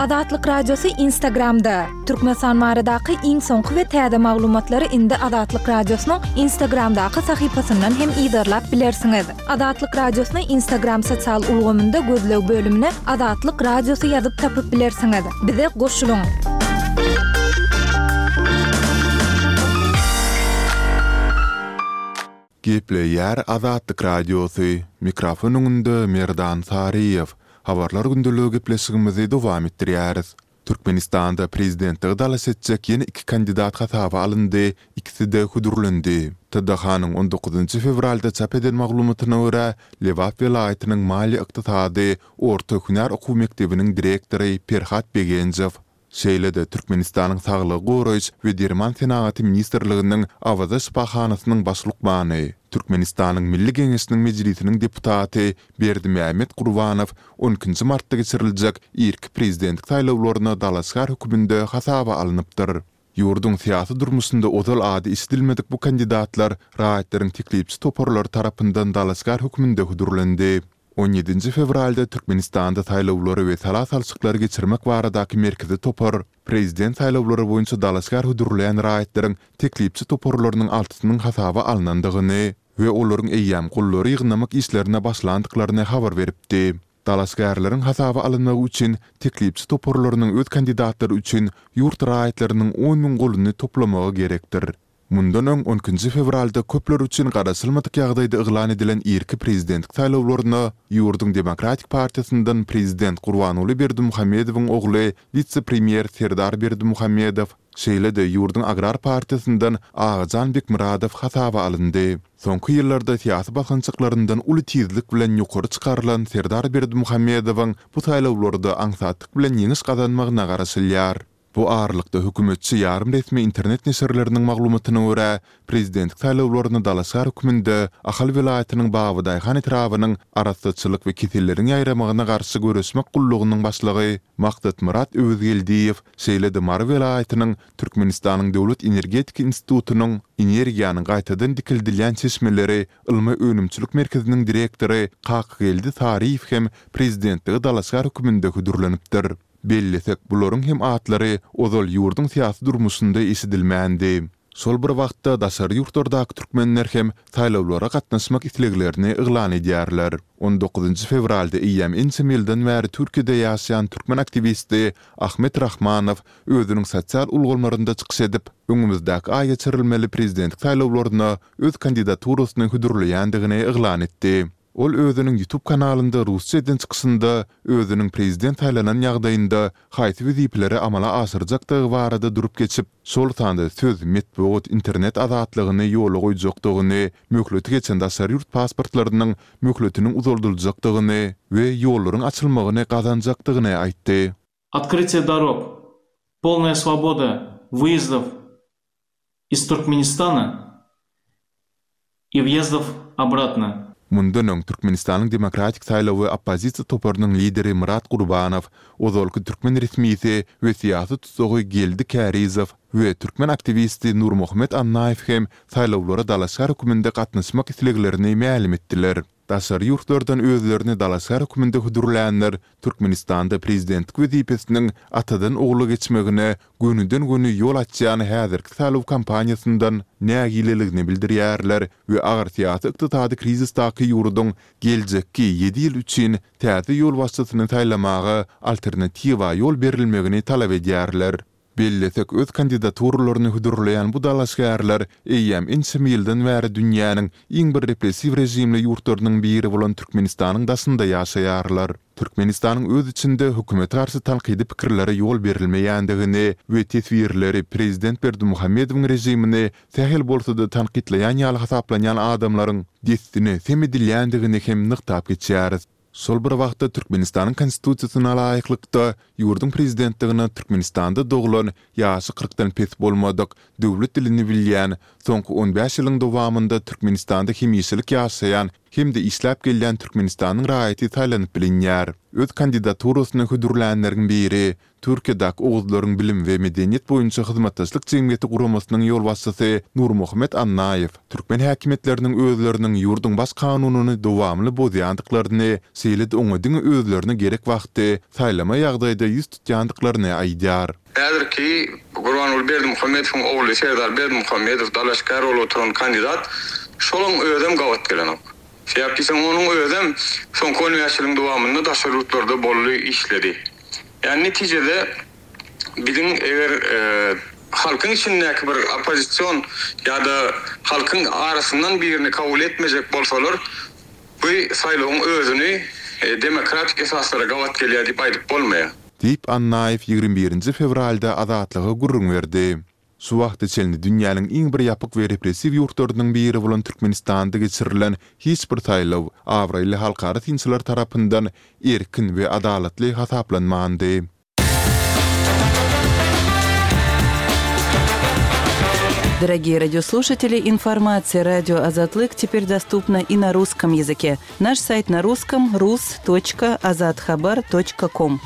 Azatlyk Radiosy Instagramda! Türkmenistan baradaky iň soňky we täze maglumatlary indi Azatlyk Radiosynyň Instagramdaky sahypasyndan hem yzarlap bilersiňiz. Azatlyk Radiosyny Instagram sosial ulgamynda gözleg bölümine Azatlyk Radiosy ýazyp tapyp bilersiňiz. Bize goşulyň! Gepleýär Azatlyk Radiosy, mikrofon öňünde Merdan Saryýew. Habarlar gündeligi gepleşigimizi dowam etdirýäris. Türkmenistanda prezidentlige dalaş etjek ýene iki kandidat hasaba alyndy, ikisi-de hödürlendi. TDH-nyň on dokuzynjy fewralda çap eden maglumatyna görä, Lebap welaýatynyň maliýe-ykdysady orta hünär okuw mekdebiniň direktory Perhat Begenjow, Şeýle-de, Türkmenistanyň Saglygy goraýyş we derman senagaty ministrliginiň Awaza şypahanasynyň baş lukmany, Türkmenistanyň Milli Geňeşiniň Mejlisiniň deputaty Berdimämmet Gurbanow on ikinji martda geçiriljek irki prezidentlik saýlawlaryna dalaşgär hökmünde hasaba alnypdyr. Ýurduň syýasy durmuşynda ozal ady eşidilmedik bu kandidatlar raýatlaryň teklipçi toparlary tarapyndan dalaşgär hökmünde hödürlendi. On ýedinji fewralda Türkmenistanda saýlawlary we sala salşyklary geçirmek baradaky merkezi topar prezident saýlawlary boýunça dalaşgär hödürleýän raýatlaryň teklipçi toparlarynyň altysynyň hasaba alnandygyny we olaryň eýýäm gollary ýygnamak işlerine başlandyklaryny habar beripdi. Dalaşgärleriň hasaba alynmagy üçin teklipçi toparlarynyň öz kandidatlary üçin ýurt raýatlarynyň on müň goluny toplamagy gerekdir. Mundan öň, on ikinji fewralda köpler üçin garaşylmadyk ýagdaýda yglan edilen irki prezidentlik saýlawlaryna ýurduň Demokratik partiýasyndan prezident Gurbanguly Berdimuhamedowyň ogly, wise-premýer Serdar Berdimuhamedow, şeýle-de ýurduň Agrar partiýasyndan Agajan Bekmyradow hasaba alyndy. Soňky ýyllarda syýasy basgançaklaryndan uly tizlik bilen ýokary çykarylan Serdar Berdimuhamedowyň bu saýlawlarda aňsatlyk bilen ýeňiş gazanmagyna garaşylýar. Bu aralykda, hökümetçi ýarym resmi internet neşirleriniň maglumatyna görä, prezidentlik saýlawlaryna dalaşgär hökmünde Ahal welaýatynyň Babadaýhan etrabynyň Arassaçylyk we keselleriň ýaýramagyna garşy göreşmek gullugynyň başlygy Maksatmyrat Öwezgeldiýew, şeýle-de Mary welaýatynyň Türkmenistanyň Döwlet energetika institutynyň Energiýanyň gaýtadan dikeldilýän çeşmeleri ylmy-önümçilik merkeziniň direktory Kakageldi Saryýew hem prezidentlige dalaşgär hökmünde hödürlenipdir. Bellesek, bularyň hem atlary ozal ýurduň syýasy durmuşynda eşidilmändi. Şol bir wagtda, daşary ýurtlardaky türkmenler hem saýlawlara gatnaşmak isleglerini yglan edýärler. On dokuzynjy fewralda eýýäm ençeme ýyldan bäri Türkiýede ýaşaýan türkmen aktiwisti Ahmet Rahmanow özüniň sosial ulgamlarynda çykyş edip, öňümizdäki aý geçirilmeli prezidentlik saýlawlaryna öz kandidaturasyny hödürleýändigini yglan etdi. Ol özüniň YouTube kanalynda rusça eden çykyşynda özüniň prezident saýlanan ýagdaýynda haýsy wezipeleri amala aşyrjakdygy barada durup geçip, şol sanda söz, metbugat, internet azatlygyny ýola goýjakdygyny, möhleti geçen daşary ýurt pasportlarynyň möhletiniň uzaldyljakdygyny we ýollaryň açylmagyny gazanjakdygyny aýtdy. Otkrytiýe dorog, polnaýa swoboda wyýezdow Iz Türkmenistana i wýezdow obratno. Mundan öň Türkmenistanyň Demokratik saýlawy oppozisiýa toparynyň lideri Myrat Gurbanow, ozalky türkmen resmisi we syýasy tussagy Geldi Kärizow we türkmen aktiwisti Nurmuhammet Annaýew hem saýlawlara dalaşgär hökmünde gatnaşmak isleglerini mälim etdiler. Daşary ýurtlardan özlerini dalaşgär hökmünde hödürlänler Türkmenistanda prezidentlik wezipesiniň atadan ogla geçmegine gönüden-göni ýol açýan häzirki saýlaw kampaniýasyndan nägileligini bildirýärler we agyr syýasy-ykdysady krizisdaky ýurduň geljekki ýedi ýyl üçin täze ýolbaşçysyny saýlamaga alternatiwa ýol berilmegini talap edýärler. Bellesek, öz kandidaturalaryny hödürleýän bu dalaşgärler eýýäm ençeme ýyldan bäri dünýäniň iň bir repressiw režimli ýurtlarynyň biri bolan Türkmenistanyň daşynda ýaşaýarlar. Türkmenistanyň öz içinde hökümete garşy tankydy pikirlere ýol berilmeýändigini we teswirleri prezident Berdimuhamedowyň režimini sähel bolsa-da tankytlaýan ýaly hasaplanýan adamlaryň dessine sem edilýändigini hem nygtap geçýäris. Şol bir wagtda Türkmenistanyň Konstitusiýasyna laýyklykda, ýurduň Prezidentligine Türkmenistanda doglan, ýaşy kyrkdan pes bolmadyk, döwlet dilini bilýän, soňky on bäş ýylyň dowamynda Türkmenistanda hemişelik ýaşaýan hem-de işläp gelýän Türkmenistanyň raýaty saýlanyp bilinýär. Öz kandidaturasyny hödürlänleriň biri, Türkiýedäki Oguzlaryň bilim we medeniýet boýunça hyzmatdaşlyk jemgyýeti guramasynyň ýolbaşçysy Nurmuhammet Annaýew türkmen häkimiýetleriniň özleriniň ýurduň Baş kanunyny dowamly bozýandyklaryny, şeýle-de oňa diňe özlerine gerek wagty saýlama ýagdaýda ýüz tutýandyklaryny aýdýar. Häzirki Gurbanguly Berdimuhamedowyň ogly Serdar Berdimuhamedow dalaşgär bolup oturan kandidat, şolaň özem gabat gelenok. Sebäp diýseň, onuň özem soňky on bäş ýylyň dowamynda daşary ýurtlarda boldy, işledi. Ýagny netijede biziň eger halkyň içindäki bir oppozision ýa-da halkyň arasyndan birini kabul etmejek bolsalar, bu saýlawyň özüni demokratik esaslara gabat gelýär diýip aýdyp bolmaýar. Diýip, Annaýew 21 nji fewralda Azatlyga gürrüň berdi. Şu wagta çenli dünýäniň iň bir ýapyk we repressiw ýurtlarynyň biri bolan Türkmenistanda geçirilen hiç bir saýlaw abraýly halkara synçylar tarapyndan erkin we adalatly hasaplanmandy. Дорогие радиослушатели, информация радио Азатлык теперь доступна и на русском языке. Наш сайт на русском rus.azathabar.com.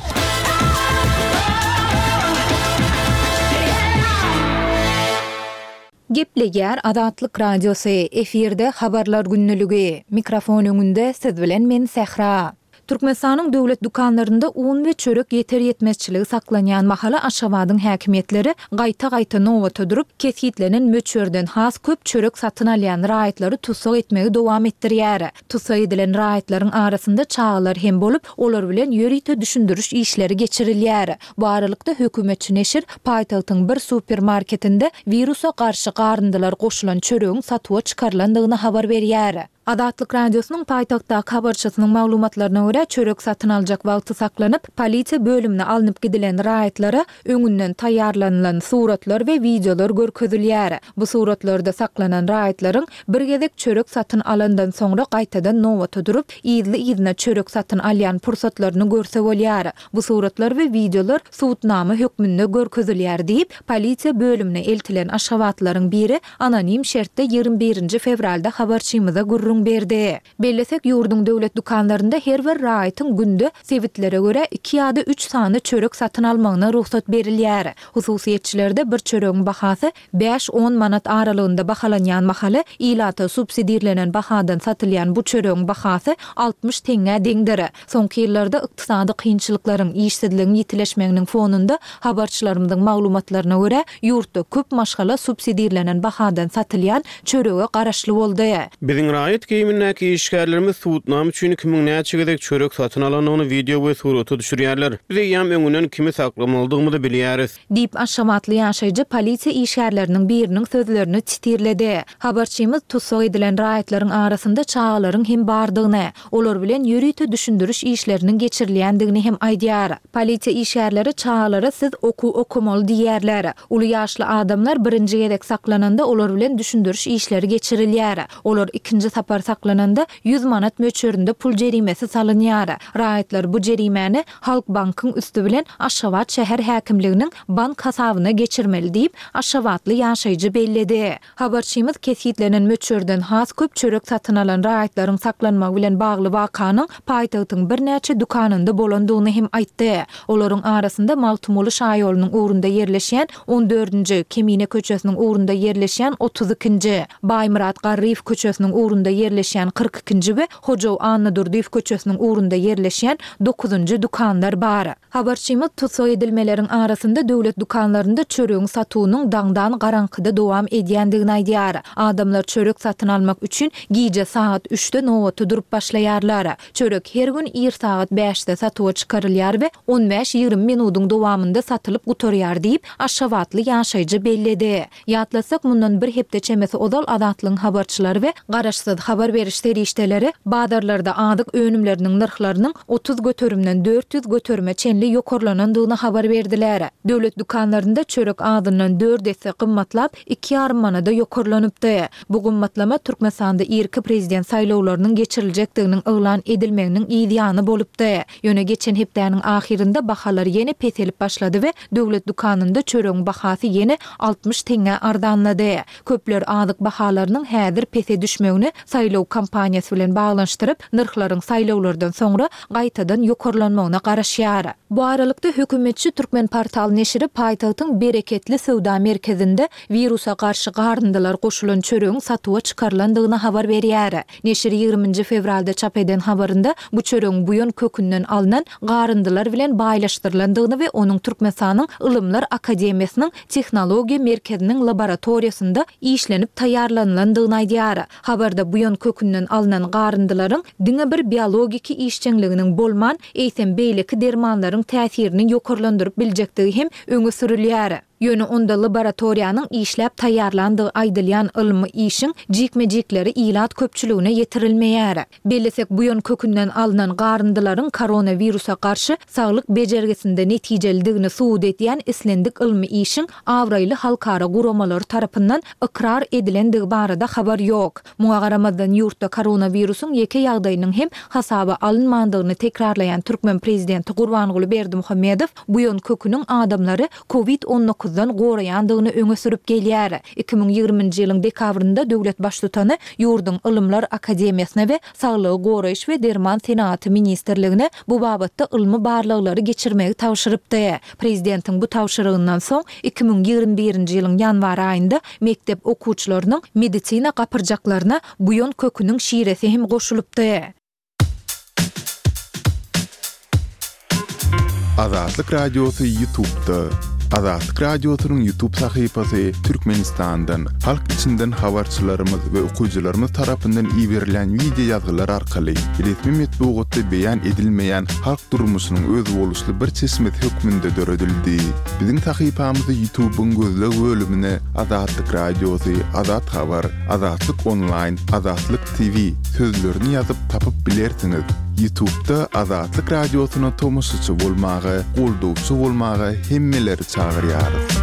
Gepleýär Azatlyk Radiosy, efirde Habarlar gündeligi. Mikrofon öňünde siz bilen men Sähra. Türkmenistanyň döwlet dükanlarynda un we çörek ýeter-ýetmezçiligi saklanýan mahaly Aşgabadyň häkimiýetleri gaýta-gaýta nobata durup, kesgitlenen möçberden has köp çörek satyn alýan raýatlary tussag etmegi dowam etdirýär. Tussag edilen raýatlaryň arasynda çagalar hem bolup, olar bilen ýörite düşündiriş işleri geçirilýär. Bu aralykda, hökümetçi neşir paýtagtyň bir supermarketinde wirusa garşy garyndylar goşulan çöregiň satuwa çykarylandygyny habar berýär. Azatlyk Radiosynyň paýtagtdaky habarçysynyň maglumatlaryna görä, çörek satyn aljak wagty saklanyp, polisiýa bölümine alnyp gidilen raýatlara öňünden taýýarlanylan suratlar we wideolar görkezilýär. Bu suratlarda saklanan raýatlaryň bir gezek çörek satyn alandan soňra gaýtadan nobata durup, yzly-yzyna çörek satyn alýan pursatlaryny görse bolýar. Bu suratlar we wideolar subutnama hökmünde görkezilýär diýip, polisiýa bölümine eltilen aşgabatlylaryň biri anonim şertde 21 nji fewralda habarçymyza gürrüň berdi. Bellesek, ýurduň döwlet dükanlarynda her bir raýatyň günde sebitlere görä iki ýa-da üç sany çörek satyn almagyna rugsat berilýär. Hususyýetçilerde bir çöregiň bahasy bäş-on manat aralygynda bahalanýan mahaly, ilata subsidirlenen bahadan satylýan bu çöregiň bahasy 60 teňňä deňdir. Soňky ýyllarda ykdysady kynçylyklaryň, işsizligiň ýitileşmeginiň fonunda, habarçylarymyzyň maglumatlaryna görä, ýurtda köp maşgala subsidirlenen bahadan satylýan çörege garaşly boldy. Biziň raýat geýimindäki işgärlerimiz subutnama üçin kimiň näçe gezek çörek satyn alandygyny wideo we surata düşürýärler. Biz eýýäm öňünden kimi saklamalydygymyzy bilýäris. Diýip, aşgabatly ýaşaýjy polisiýa işgärleriniň biriniň sözlerini sitirledi. Habarçymyz tussag edilen raýatlaryň arasynda çagalaryň hem bardygyny, olar bilen ýörite düşündiriş işleriniň geçirilýändigini hem aýdýar. Polisiýa işgärleri çagalara siz okuw okamaly diýýärler. Uly ýaşly adamlar birinji gezek saklananda olar bilen düşündiriş işleri geçirilýär. Olar ikinji sapar saklananda 100 manat möçberinde pul jerimesi salynýar. Raýatlar bu jerimäni Halkbankyň üsti bilen Aşgabat şäher häkimliginiň bank hasabyna geçirmeli diýip, aşgabatly ýaşaýjy belledi. Habarçymyz kesgitlenen möçberden has köp çörek satyn alan raýatlaryň saklanmagy bilen bagly wakanyň paýtagtyň birnäçe dükanynda bolandygyny hem aýtdy. Olaryň arasynda Magtymguly şaýolunyň ugrunda ýerleşýän on dördünji, Kemine köçesiniň ugrunda ýerleşýän otuz ikinji, Baýmyrat Garryýew köçesiniň ugrunda ýerleşýän kyrk ikinji we Hojaw Annadurdyýew köçesiniň ugrunda ýerleşýän dokuzynjy dükanlar bar. Habarçymyz tussag edilmeleriň arasynda döwlet dükanlarynda çöregiň satuwynyň daňdan garaňkyda dowam edýändigini aýdýar. Adamlar çörek satyn almak üçin gije sagat üçde nobata durup başlaýarlar. Çörek her gün ir sagat bäşde satuwa çykarylýar we on bäş-ýigrimi minudyň dowamynda satylyp gutarýar diýip, aşgabatly ýaşaýjy belledi. Ýatlatsak, mundan bir hepde çemesi ozal Azatlygyň habarçylary we garaşsyz habar beriş serişdeleri bazarlarda azyk önümleriniň nyrhlarynyň 30 göterimden 400 göterime çenli ýokarlanandygyny habar berdiler. Döwlet dükanlarynda çörek azyndan dört esse gymmatlap, iki ýarym manada ýokarlanypdy. Bu gymmatlama Türkmenistanda irki prezident saýlawlarynyň geçiriljekdiginiň yglan edilmeginiň yz ýany bolupdy. Ýöne geçen hepdäniň ahyrynda bahalar ýene peselip başlady we döwlet dükanynda çöregiň bahasy ýene 60 teňňä arzanlady. Köpler azyk bahalarynyň häzir pese düşmegini saýlaw. saýlaw kampaniýasy bilen baglanyşdyryp, nyrhlaryň saýlawlardan soňra gaýtadan ýokarlanmagyna garaşýar. Bu aralykda, hökümetçi Türkmenportal neşiri paýtagtyň Bereketli söwda merkezinde wirusa garşy garyndylar goşulan çöregiň satuwa çykarylandygyny habar berýär. Neşir ýigriminji fewralda çap eden habarynda bu çöregiň buýan kökünden alnan garyndylar bilen baýlaşdyrylandygyny we onuň Türkmenistanyň Ylymlar akademiýasynyň Tehnologiýa merkeziniň laboratoriýasynda işlenip taýýarlanylandygyny aýdýar. Habarda buýan kökünden alnan garyndylaryň diňe bir biologiki işjeňliginiň bolman, eýsem beýleki dermanlaryň täsirini ýokarlandyryp biljekdigi hem öňe sürülýär. Ýöne onda laboratoriýanyň işläp taýýarlandygy aýdylýan ylmy işiň jikme-jikleri ilat köpçüligine ýetirilmeýär. Bellesek, buýan kökünden alnan garyndylaryň koronawirusa garşy saglyk bejergisinde netijelidigini subut edýän islendik ylmy işiň abraýly halkara guramalary tarapyndan ykrar edilendigi barada habar ýok. Muňa garamazdan, ýurtda koronawirusyň ýeke ýagdaýynyň hem hasaba alynmandygyny tekrarlaýan türkmen prezidenti Gurbanguly Berdimuhamedow buýan köküniň adamlary Covid on dokuzdan goraýandygyny öňe sürüp gelýär. 2020-nji ýylyň dekabrynda döwlet baştutany ýurduň Ylymlar akademiýasyna we Saglygy goraýyş we derman senagaty ministrligine bu babatda ylmy barlaglary geçirmegi tabşyrypdy. Prezidentiň bu tabşyrygyndan soň, 2021-nji ýylyň ýanwar aýynda mekdep okuwçylarynyň medisina gapyrjaklaryna buýan köküniň şiresi hem goşulypdy. Azatlyk Radiosy Ýutubda. Azatlyk Radiosynyň Ýutub sahypasy Türkmenistandan, halk içinden habarçylarymyz we okyjylarymyz tarapyndan iberilýän wideo ýazgylar arkaly resmi metbugatda beýan edilmeýän halk durmuşynyň özboluşly bir çeşmesi hökmünde döredildi. Biziň sahypamyzy Ýutubyň gözleg bölümine Azatlyk Radiosy, Azat Habar, Azatlyk Onlaýn, Azatlyk TV sözlerini ýazyp tapyp bilersiňiz. Ýutubda Azatlyk Radiosyna tomaşaçy bolmaga, goldawçy bolmaga hemmeleri çagyrýarys.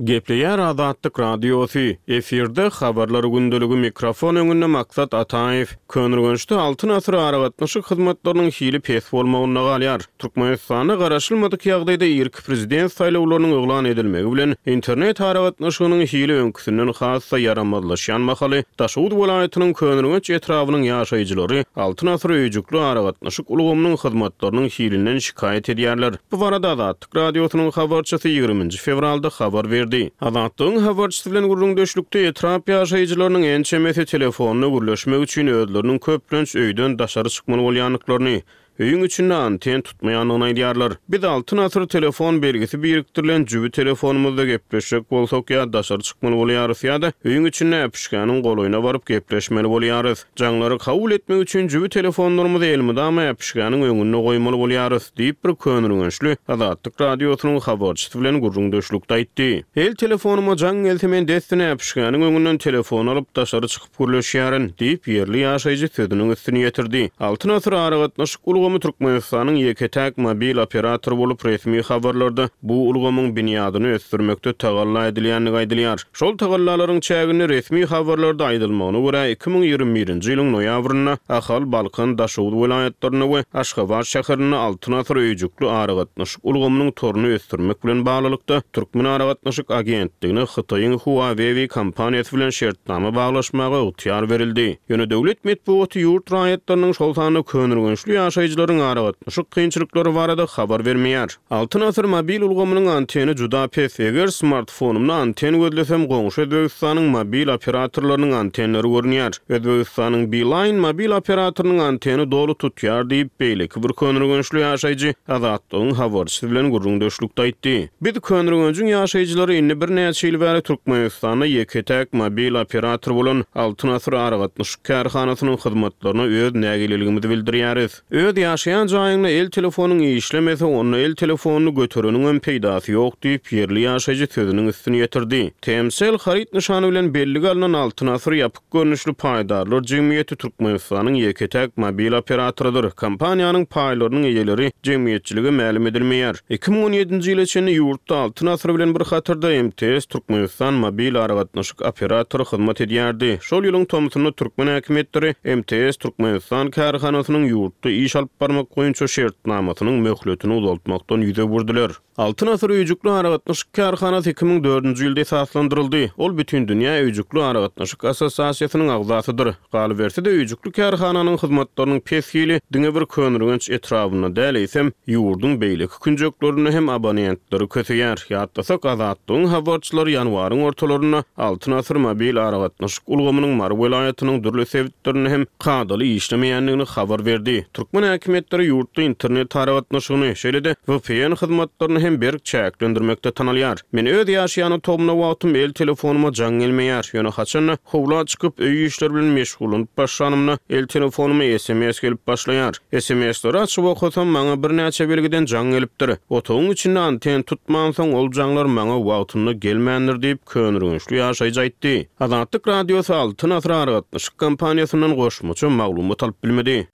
Gepleýär Azatlyk Radiosy, efirde Habarlar gündeligi mikrofon öňünde Maksat Ataýew. Köneürgençde Altyn asyr aragatnaşyk hyzmatlarynyň hili pes bolmagynda galýar. Türkmenistanda garaşylmadyk ýagdaýda irki prezident saýlawlarynyň yglan edilmegi bilen, internet aragatnaşygynyň hili öňküsinden has-da ýaramazlaşýan mahaly, Daşoguz welaýatynyň Köneürgenç etrabynyň ýaşaýjylary Altyn asyr öýjükli aragatnaşyk ulgamynyň hyzmatlarynyň hilinden şikaýat edýärler. Bu barada Azatlyk. Radiosynyň habarçysy ýigriminji fewralda habar berdi. Azatlygyň habarçysy bilen gürrüňdeşlikde etrap ýaşaýjylarynyň ençemesi telefonda gürleşmek üçin özleriniň köplenç öýden daşary çykmaly bolýandyklaryny, öýüň içinde anten tutmaýandygyny aýdýarlar. Biz Altyn asyr telefon belgisi birikdirilen jübi telefonymyzda gepleşjek bolsak ýa daşary çykmaly bolýarys ýa-da öýüň içinde äpişgäniň golaýyna baryp gepleşmeli bolýarys. Jaňlary kabul etmek üçin jübi telefonlarymyzy elmydama äpişgäniň öňünde goýmaly bolýarys, diýip, bir köneürgençli Azatlyk Radiosynyň habarçysy bilen gürrüňdeşlikde aýtdy. El telefonyma jaň gelse, men dessine äpişgäniň öňünden telefony alyp, daşary çykyp gürleşýärin, diýip, ýerli ýaşaýjy sözüniň üstüni ýetirdi. Altyn asyr aragatnaşyk ulgamy Türkmenistanyň ýeke-täk mobil operatory bolup, resmi habarlarda bu ulgamyň binýadyny ösdürmekde tagalla edilýändigi aýdylýar. Şol tagallalaryň çäginde resmi habarlarda aýdylmagyna görä, 2021-nji ýylyň noýabrynda Ahal, Balkan, Daşoguz welaýatlarynda we Aşgabat şäherinde Altyn asyr öýjükli aragatnaşyk ulgamynyň toruny ösdürmek bilen baglylykda, Türkmenaragatnaşyk agentligine Hytaýyň Huawei kompaniýasy bilen şertnama baglaşmaga ygtyýar berildi. Ýöne döwlet metbugaty ýurt raýatlarynyň, şol sanda köneürgençli ýaşaýjylaryň aragatnaşyk kynçylyklary barada habar bermeýär. Altyn asyr mobil ulgamynyň anteni juda pes. Eger smartfonymda anten gözlesem, goňşy Özbegistanyň mobil operatorlarynyň antenleri görünýär. Özbegistanyň Beeline mobil operatorynyň anteni doly tutýar diýip, beýleki bir köneürgençli ýaşaýjy Azatlygyň habarçysy bilen gürrüňdeşlikde aýtdy. Biz Köneürgenjiň ýaşaýjylary indi birnäçe ýyl bäri Türkmenistanda ýeke-täk mobil operator bolan Altyn asyr aragatnaşyk kärhanasynyň hyzmatlaryna öz nägileligimizi bildirýäris. Öz ýaşaýan jaýyňda el telefonyň işlemese, onda el telefonyny götereniňem peýdasy ýok diýip, ýerli ýaşaýjy sözüniň üstüni ýetirdi. Tmcell haryt nyşany bilen bellige alnan Altyn asyr ýapyk görnüşli paýdarlar jemgyýeti Türkmenistanyň ýeke-täk mobil operatorydyr. Kompaniýanyň paýlarynyň eýeleri jemgyýetçilige mälim edilmeýär. 2017-nji ýyla çenli ýurtda Altyn asyr bilen bir hatarda MTS Türkmenistan mobil aragatnaşyk operatory hyzmat edýärdi. Şol ýylyň tomsunda türkmen häkimiýetleri MTS Türkmenistan kärhanasynyň ýurtda iş alyp. alyp barmak boýunça şertnamasynyň möhletini uzaltmakdan ýüz öwürdiler. Altyn asyr öýjükli aragatnaşyk kärhanasy 2004-nji ýylda esaslandyryldy. Ol Bütindünýä öýjükli aragatnaşyk assosiasiýasynyň agzasydyr. Galyberse-de, öýjükli kärhananyň hyzmatlarynyň pes hili diňe bir Köneürgenç etrabynda däl, eýsem, ýurduň beýleki künjeklerinde hem abonentleri köseýär. Ýatlasak, Azatlygyň habarçylary ýanwaryň ortalarynda Altyn asyr mobil aragatnaşyk ulgamynyň Mary welaýatynyň dürli sebitlerinde hem kadaly işlemeýändigini habar berdi. Türkmen häkimiýetleri ýurtda internet aragatnaşygyny, şeýle-de vpn hyzmatlaryny hem berk çäklendirmekde tanalýar. Men öz ýaşaýan otagymda wagtym el telefonyma jaň gelmeýär. Ýöne haçan-da howla çykyp, öý işleri bilen meşgullanyp başlanymda, el telefonyma sms gelip başlaýar. SMS-leri açyp okasam, maňa birnäçe belgiden jaň gelipdir. Otagyň içinde anten tutmansoň, ol jaňlar maňa wagtynda gelmändir diýip, köneürgençli ýaşaýjy aýtdy. Azatlyk Radiosy Altyn Asyr aragatnaşyk kompaniýasyndan goşmaça maglumat alyp bilmedi.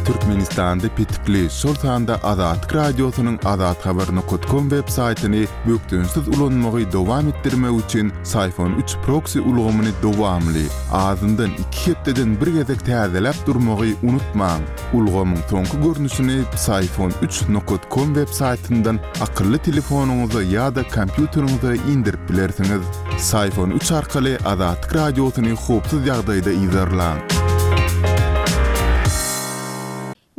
Türkmenistanda petikli, şol sanda Azatlyk Radiosynyň azathabar nokat kom web saýtyny bökdençsiz ulanmagy dowam etdirmek üçin Syfon üç proksi ulgamyny dowamly, azyndan iki hepdeden bir gezek täzeläp durmagy unutmaň. Ulgamyň soňky görnüşini Psiphon üç nokat kom web saýtyndan akylly telefonyňyza ýa-da kompýuteriňize indirip bilersiňiz. Psiphon üç arkaly Azatlyk Radiosyny howpsuz ýagdaýda yzarlaň.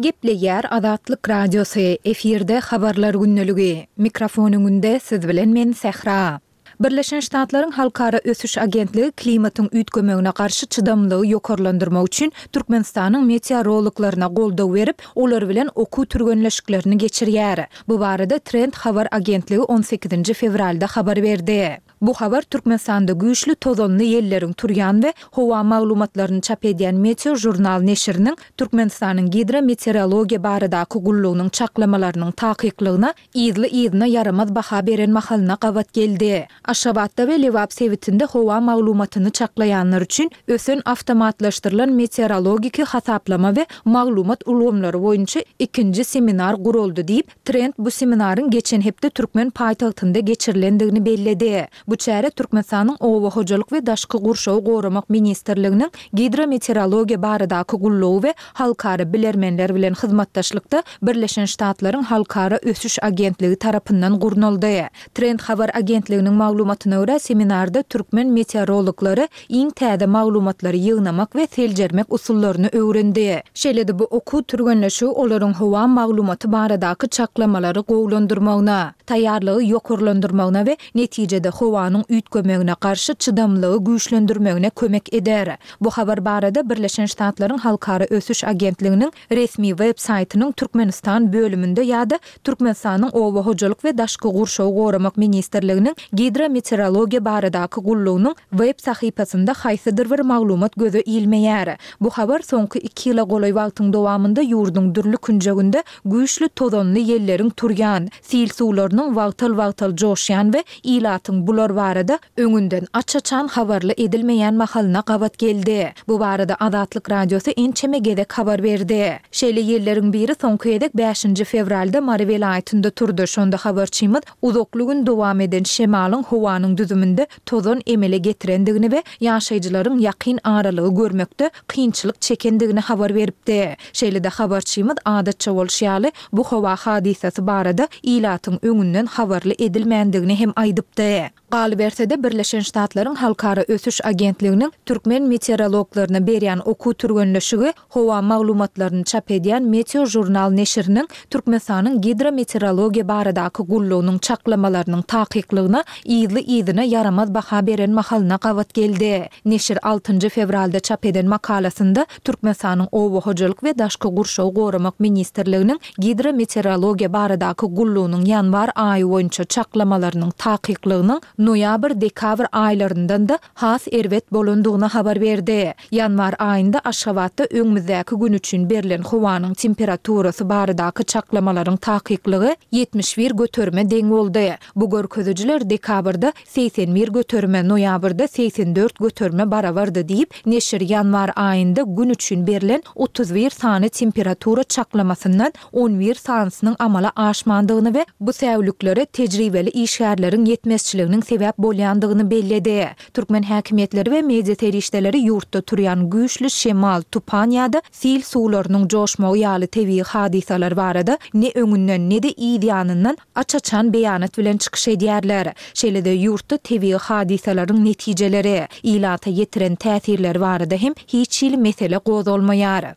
Gepleýär Azatlyk Radiosy, efirde Habarlar gündeligi. Mikrofon öňünde siz bilen men Sähra. Birleşen Ştatlaryň Halkara ösüş agentligi klimatyň üýtgemegine garşy çydamlylygy ýokarlandyrmak üçin Türkmenistanyň meteorologlaryna goldaw berip, olar bilen okuw türgenleşiklerini geçirýär. Bu barada Trend habar agentligi on sekizinji fewralda habar berdi. Bu habar Türkmenistanda güýçli tozanly ýelleriň turýan we howa maglumatlaryny çap edýän Meteožurnal neşiriniň Türkmenistanyň Gidrometeorologiýa baradaky gullugynyň çaklamalarynyň takyklygyna yzly-yzyna ýaramaz baha beren mahalyna gabat geldi. Aşgabatda we Lebap sebitinde howa maglumatyny çaklaýanlar üçin ösen awtomatlaşdyrylan meteorologiki hasaplama we maglumat ulgamlary boýunça ikinji seminar guraldy diýip, Trend bu seminaryň geçen hepde türkmen paýtagtynda geçirilendigini belledi. Bu çäre Türkmenistanyň Oba hojalyk we daşky gurşawy goramak ministrliginiň Gidrometeorologiýa baradaky gullugy we halkara bilermenler bilen hyzmatdaşlykda Birleşen Ştatlaryň Halkara ösüş agentligi tarapyndan gurnaldy. Trend habar agentliginiň maglumatyna görä, seminarda türkmen meteorologlary iň täze maglumatlary ýygnamak we seljermek usullaryny öwrendi. Şeýle-de bu okuw türgenleşigi olaryň howa maglumaty baradaky çaklamalary gowulandyrmagyna, taýýarlygy ýokarlandyrmagyna we netijede howanyň üýtgemegine garşy çydamlylygy güýçlendirmegine kömek eder. Bu habar barada Birleşen Ştatlaryň Halkara ösüş agentliginiň resmi web saýtynyň Türkmenistan bölüminde ýa-da Türkmenistanyň Oba hojalyk we daşky gurşawy goramak ministrliginiň Gidrometeorologiýa baradaky gullugynyň web sahypasynda haýsydyr bir maglumat göze ilmeýär. Bu habar soňky iki ýyla golaý wagtyň dowamynda ýurduň dürli künjeginde güýçli tozanly ýelleriň turýan, sil suwlarynyň wagtal-wagtal joşýan we ilatyň bular barada öňünden aç-açan habarly edilmeýän mahalyna gabat geldi. Bu barada Azatlyk Radiosy ençeme gezek habar berdi. Şeýle ýelleriň biri soňky gezek bäşinji fewralda Mary welaýatynda turdy, şonda habarçymyz uzakly gün dowam eden şemalyň howanyň düzüminde tozan emele getirendigini we ýaşaýjylaryň ýakyn aralygy görmekde kynçylyk çekendigini habar beripdi. Şeýle-de habarçymyz adatça bolşy ýaly, bu howa hadysasy barada ilatyň öňünden habarly edilmändigini hem aýdypdy. Galyberse-de, Birleşen Ştatlaryň Halkara ösüş agentliginiň türkmen meteorologlaryna berýän okuw türgenleşigi howa maglumatlaryny çap edýän Meteožurnal neşiriniň Türkmenistanyň Gidrometeorologiýa baradaky gullugynyň çaklamalarynyň takyklygyna yzly-yzyna ýaramaz baha beren mahalyna gabat geldi. Neşir altynjy fewralda çap eden makalasynda Türkmenistanyň Oba hojalyk we daşky gurşawy goramak ministrliginiň Gidrometeorologiýa baradaky gullugynyň ýanwar aýy boýunça çaklamalarynyň takyklygynyň noýabr-dekabr aýlaryndan-da has erbet bolandygyny habar berdi. Ýanwar aýynda Aşgabatda öňümizdäki gün üçin berlen howanyň temperaturasy baradaky çaklamalaryň takyklygy 71 göterime deň boldy. Bu görkezijiler dekabrda 81 göterime, noýabrda 84 göterime barabardy diýip, neşir ýanwar aýynda gün üçin berlen 31 sany temperatura çaklamasyndan on bir sanysynyň amala aşmandygyny we bu säwliklere tejribeli işgärleriň ýetmezçiliginiň. sebäp bolýandygyny belledi. Türkmen häkimiýetleri we media serişdeleri ýurtda turýan güýçli şemal, tupan ýa-da sil suwlarynyň joşmagy ýaly tebigy hadysalar barada ne öňünden, ne-de yz ýanyndan aç-açan beýanat bilen çykyş edýärler. Şeýle-de ýurtda tebigy hadysalaryň netijeleri, ilata ýetiren täsirleri barada hem hiç hili mesele gozgalmaýar.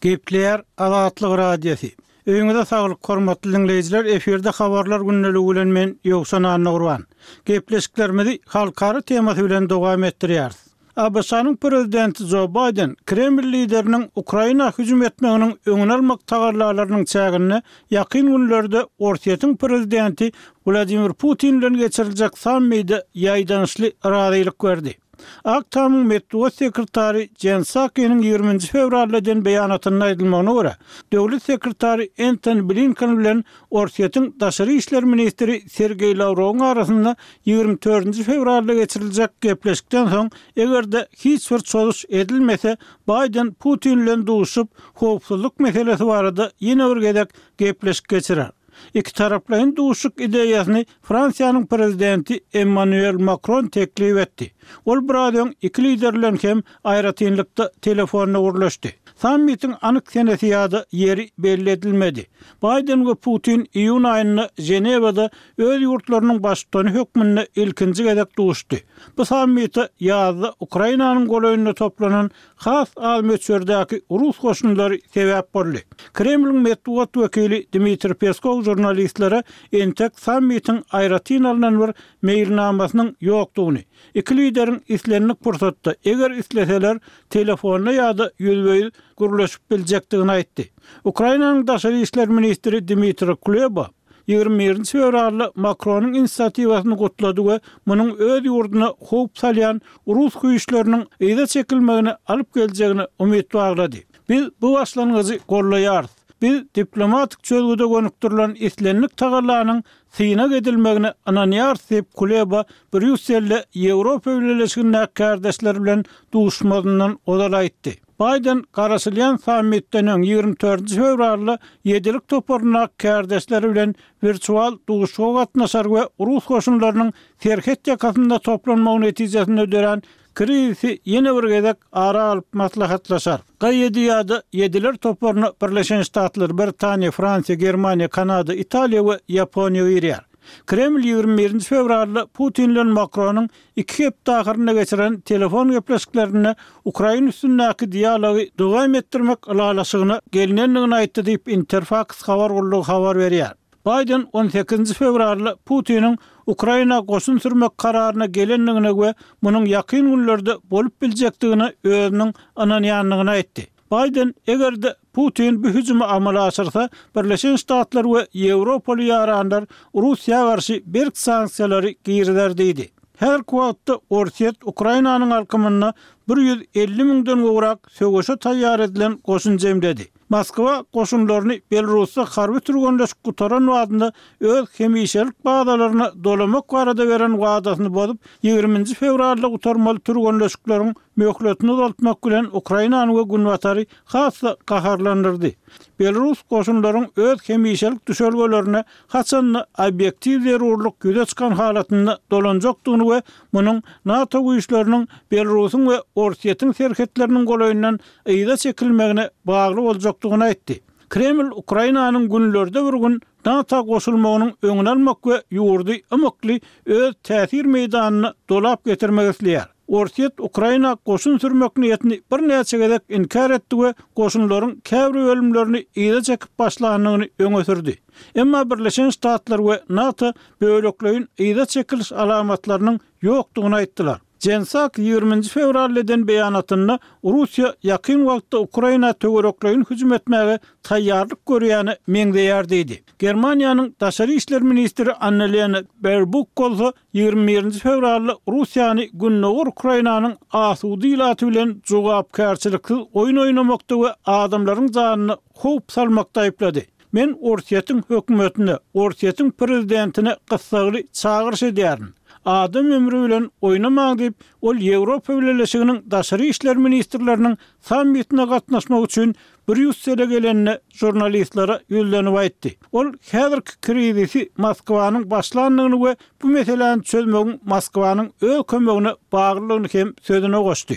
Gepleýär Azatlyk Radiosy. Öýüňize saglyk hormatly diňleýjiler efirde habarlar gündeligi bilen men Ýowşan Annagurban. Gepleşiklerimizi halkara temasy bilen dowam etdirýäris. ABŞ-nyň prezidenti Jo Baýden Kreml lideriniň Ukraina hüjüm etmeginiň öňüni almak tagallalarynyň çäginde ýakyn günlerde Orsýetiň prezidenti Wladimir Putin bilen geçiriljek sammide ýaýdanyşly razylyk berdi. Ak Tamyň metbugat sekretary Jen Sakiniň ýigriminji fewralda eden beýanatynda aýdylmagyna görä, döwlet sekretary Entoni Blinken bilen Orsýetiň daşary işler ministri Sergeý Lawrowyň arasynda 24 fewralda geçiriljek gepleşikden soň, eger-de hiç bir çozuş edilmese, Baýden Putin bilen duşuşyp, howpsuzlyk meselesi barada ýene bir gezek gepleşik geçirer. Ikitaraplaýyn duşuşyk ideýasyny Fransiýanyň prezidenti Emmanuel Makron teklip etdi. Ol biraz öň iki lider bilen hem aýratynlykda telefonda gürleşdi. Sammitiň anyk senesi ýa-da ýeri belli edilmedi. Baýden we Putin iýun aýynda Ženewada öz ýurtlarynyň baştutany hökmünde ilkinji gezek duşdy. Bu sammite ýazda Ukrainanyň golaýynda toplanan has az möçberdäki rus goşunlary sebäp boldy. Kremliň metbugat wekili Dmitriý Peskow žurnalistlere entek sammitiň aýratyn alnan bir meýilnamasynyň ýokdugyny, iki lideriň islendik pursatda, eger isleseler, telefonda ýa-da ýüzbe-ýüz gürleşip biljekdigini aýtdy. Ukrainanyň daşary işler ministri Dmitriý Kuleba 21 fewralda Makronyň inisiatiwasyny gutlady we munuň öz ýurduna howp salýan rus güýçleriniň yza çekilmegine alyp geljegine umyt baglady. Biz bu başlangyjy goldaýarys. Biz diplomatik çözgüde gönükdirilen islendik tagallanyň synag edilmegine ynanýarys diýip, Kuleba Brýusselde Ýewropa Bileleşigindäki kärdeşleri bilen duşmazyndan ozal aýtdy. Baýden garaşylýan sammitden öň, 24 fewralda Ýedilik toparyndaky kärdeşleri bilen wirtual duşuşyga gatnaşar we rus goşunlarynyň serhet ýakasynda toplanmagy netijesinde dörän krizisi ýene bir gezek ara alyp maslahatlaşar. G-ýedi ýa-da Ýediler toparyna Birleşen Ştatlar, Britaniýa, Fransiýa, Germaniýa, Kanada, Italiýa we Ýaponiýa girýär. Kreml 21 fewralda Putin bilen Makronyň iki hepde ahyrynda geçiren telefon gepleşiklerinde ukrain üstündäki dialogy dowam etdirmek ylalaşygyna gelnendigini aýtdy diýip, Interfaks habar gullugy habar berýär. Baýden on sekizinji fewralda Putiniň Ukraina goşun sürmek kararyna gelendigine we munuň ýakyn günlerde bolup biljekdigine özüniň ynanýandygyny aýtdy. Baýden, eger-de Putin bu hüjümi amala aşyrsa, Birleşen Ştatlar we ýewropaly ýaranlar Russiýa garşy berk sanksiýalary girizer diýdi. Häzirki wagtda Orsýet Ukrainanyň alkymynda 150 müňden gowrak söweşe taýýar edilen goşun jemledi. Moskwa goşunlaryny Belarusda harby türgenleşik gutaran badynda öz hemişelik bazalaryna dolamak barada beren wadasyny bozup, ýigriminji fewralda gutarmaly türgenleşikleriň möhletini uzaltmak bilen Ukrainany we Günbatary has-da gaharlandyrdy. Belarus goşunlaryň öz hemişelik düşelgelerine haçan-da obýektiw zerurlyk ýüze çykan halatynda dolanjakdygyny we munuň NATO güýçleriniň Belarusyň we Orsýetiň serhetleriniň golaýyndan yza çekilmegine bagly boljakdygyny aýtdy. Kreml Ukrainanyň günlerde bir gün NATO goşulmagynyň öňüni almak we ýurdy ymykly öz täsir meýdanyna dolap getirmek isleýär. Orsýet Ukraina goşun sürmek niýetini birnäçe gezek inkär etdi we goşunlaryň käbir bölümlerini yza çekip başlandygyny öňe sürdi. Emma Birleşen Ştatlar we NATO bölekleýin yza çekiliş alamatlarynyň ýokdugyny aýtdylar. Jen Sak ýigriminji fewralda eden beýanatynda Russiýa ýakyn wagtda Ukraina töwerekleýin hüjüm etmäge taýýarlyk görýäne meňzeýär diýdi. Germaniýanyň daşary işler ministri Annalena Baerbuk bolsa 21-nji fewralda Russiýany gündogar Ukrainanyň asuda ilaty bilen jogapkärçiliksiz oýun oýnamakda we adamlaryň janyna howp salmakda aýyplady. Men Orsýetiň hökümetine, Orsýetiň prezidentine gyssagly çagyryş edýärin. Adam ömri bilen oýnamaň diýip, ol Ýewropa Bileleşiginiň daşary işler ministrleriniň sammitine gatnaşmak üçin Brýussele gelende žurnalistlere ýüzlenip aýtdy. Ol häzirki krizisi Moskwanyň başlandygyny we bu meseläni çözmegiň Moskwanyň öz kömegine baglydygyny hem sözüne goşdy.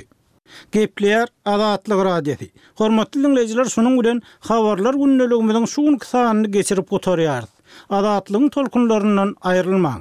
Gepleýär Azatlyk Radiosy. Hormatly diňleýjiler şunuň bilen Habarlar gündeligimiziň şu günki sanyny geçirip gutarýarys. Azatlygyň tolkunlaryndan aýrylmaň.